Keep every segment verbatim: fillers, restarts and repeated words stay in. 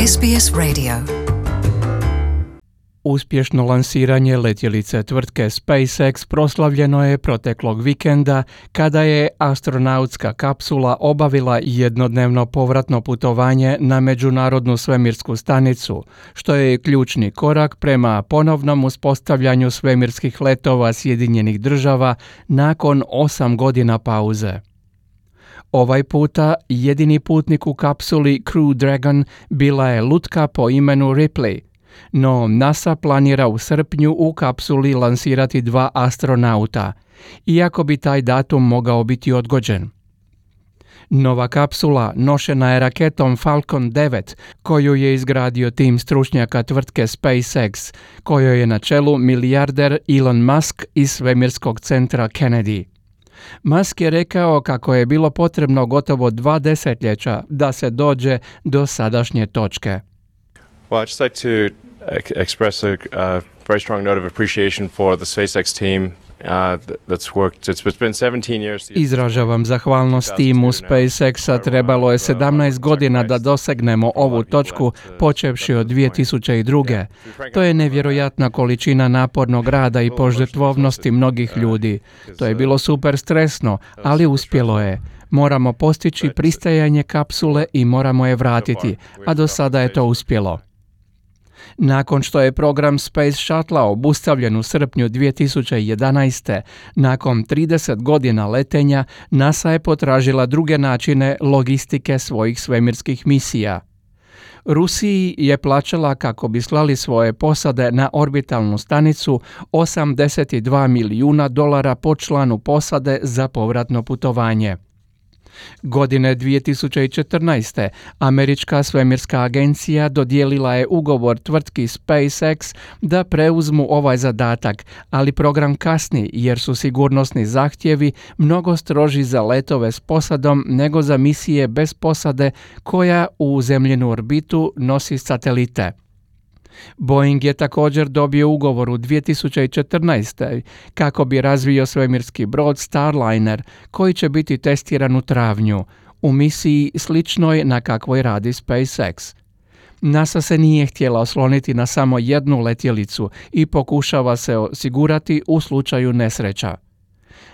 S B S Radio. Uspješno lansiranje letjelice tvrtke SpaceX proslavljeno je proteklog vikenda kada je astronautska kapsula obavila jednodnevno povratno putovanje na Međunarodnu svemirsku stanicu, što je ključni korak prema ponovnom uspostavljanju svemirskih letova Sjedinjenih država nakon osam godina pauze. Ovaj puta jedini putnik u kapsuli Crew Dragon bila je lutka po imenu Ripley, no NASA planira u srpnju u kapsuli lansirati dva astronauta, iako bi taj datum mogao biti odgođen. Nova kapsula nošena je raketom Falcon devet, koju je izgradio tim stručnjaka tvrtke SpaceX, kojoj je na čelu milijarder Elon Musk iz svemirskog centra Kennedy. Musk je rekao kako je bilo potrebno gotovo dva desetljeća da se dođe do sadašnje točke. Well, I'd just like to express a uh, very strong note of appreciation for the SpaceX team. Uh, that's worked. It's, it's been seventeen years. Izražavam zahvalnost timu SpaceX-a. Trebalo je sedamnaest godina da dosegnemo ovu točku, počevši od dvije tisuće druge. To je nevjerojatna količina napornog rada i požrtvovnosti mnogih ljudi. To je bilo super stresno, ali uspjelo je. Moramo postići pristajanje kapsule i moramo je vratiti, a do sada je to uspjelo. Nakon što je program Space Shuttle obustavljen u srpnju dvije tisuće jedanaeste. nakon trideset godina letenja, NASA je potražila druge načine logistike svojih svemirskih misija. Rusiji je plaćala kako bi slali svoje posade na orbitalnu stanicu osamdeset dva milijuna dolara po članu posade za povratno putovanje. Godine dvije tisuće četrnaeste. Američka svemirska agencija dodijelila je ugovor tvrtki SpaceX da preuzmu ovaj zadatak, ali program kasni jer su sigurnosni zahtjevi mnogo stroži za letove s posadom nego za misije bez posade koja u zemljinu orbitu nosi satelite. Boeing je također dobio ugovor u dvije tisuće četrnaeste. kako bi razvio svemirski brod Starliner koji će biti testiran u travnju, u misiji sličnoj na kakvoj radi SpaceX. NASA se nije htjela osloniti na samo jednu letjelicu i pokušava se osigurati u slučaju nesreća.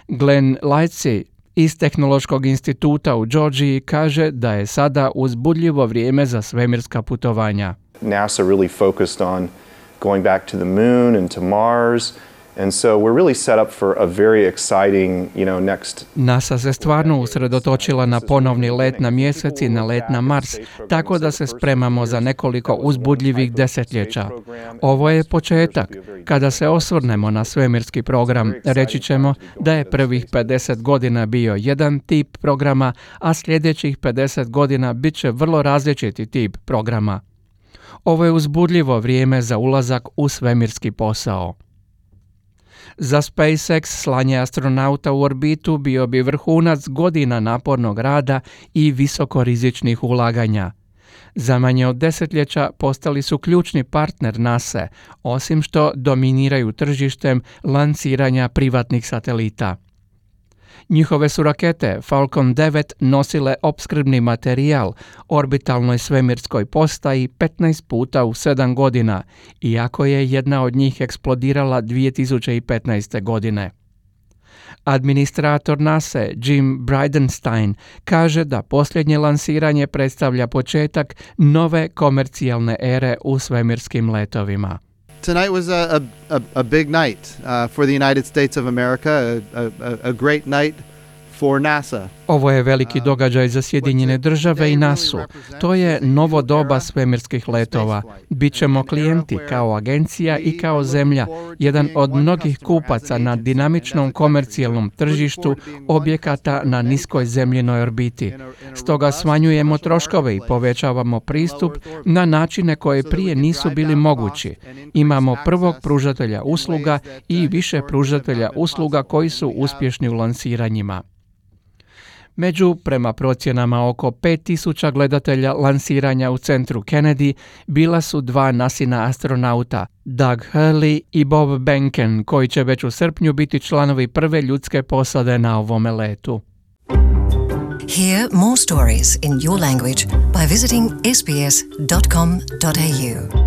Glenn Lightsey iz Tehnološkog instituta u Georgiji kaže da je sada uzbudljivo vrijeme za svemirska putovanja. NASA really focused on going back to the moon and to Mars, and so we're really set up for a very exciting, you know, next. NASA se stvarno usredotočila na ponovni let na mjesec i na let na Mars, tako da se spremamo za nekoliko uzbudljivih desetljeća. Ovo je početak. Kada se osvrnemo na svemirski program, reći ćemo da je prvih pedeset godina bio jedan tip programa, a sljedećih pedeset godina bit će vrlo različiti tip programa. Ovo je uzbudljivo vrijeme za ulazak u svemirski posao. Za SpaceX slanje astronauta u orbitu bio bi vrhunac godina napornog rada i visokorizičnih ulaganja. Za manje od desetljeća postali su ključni partner NASA, osim što dominiraju tržištem lansiranja privatnih satelita. Njihove su rakete Falcon devet nosile opskrbni materijal orbitalnoj svemirskoj postaji petnaest puta u sedam godina, iako je jedna od njih eksplodirala dvije tisuće petnaeste. godine. Administrator NASA Jim Bridenstine kaže da posljednje lansiranje predstavlja početak nove komercijalne ere u svemirskim letovima. Tonight was a, a, a big night uh, for the United States of America, a, a, a great night for NASA. Ovo je veliki događaj za Sjedinjene države i nasu. To je novo doba svemirskih letova. Bićemo klijenti kao agencija i kao zemlja, jedan od mnogih kupaca na dinamičnom komercijalnom tržištu objekata na niskoj zemljinoj orbiti. Stoga smanjujemo troškove i povećavamo pristup na načine koje prije nisu bili mogući. Imamo prvog pružatelja usluga i više pružatelja usluga koji su uspješni u lansiranjima. Među, prema procjenama, oko pet tisuća gledatelja lansiranja u centru Kennedy bila su dva NASIna astronauta, Doug Hurley i Bob Behnken, koji će već u srpnju biti članovi prve ljudske posade na ovome letu. Hear more stories in your language by visiting s b s dot com dot a u.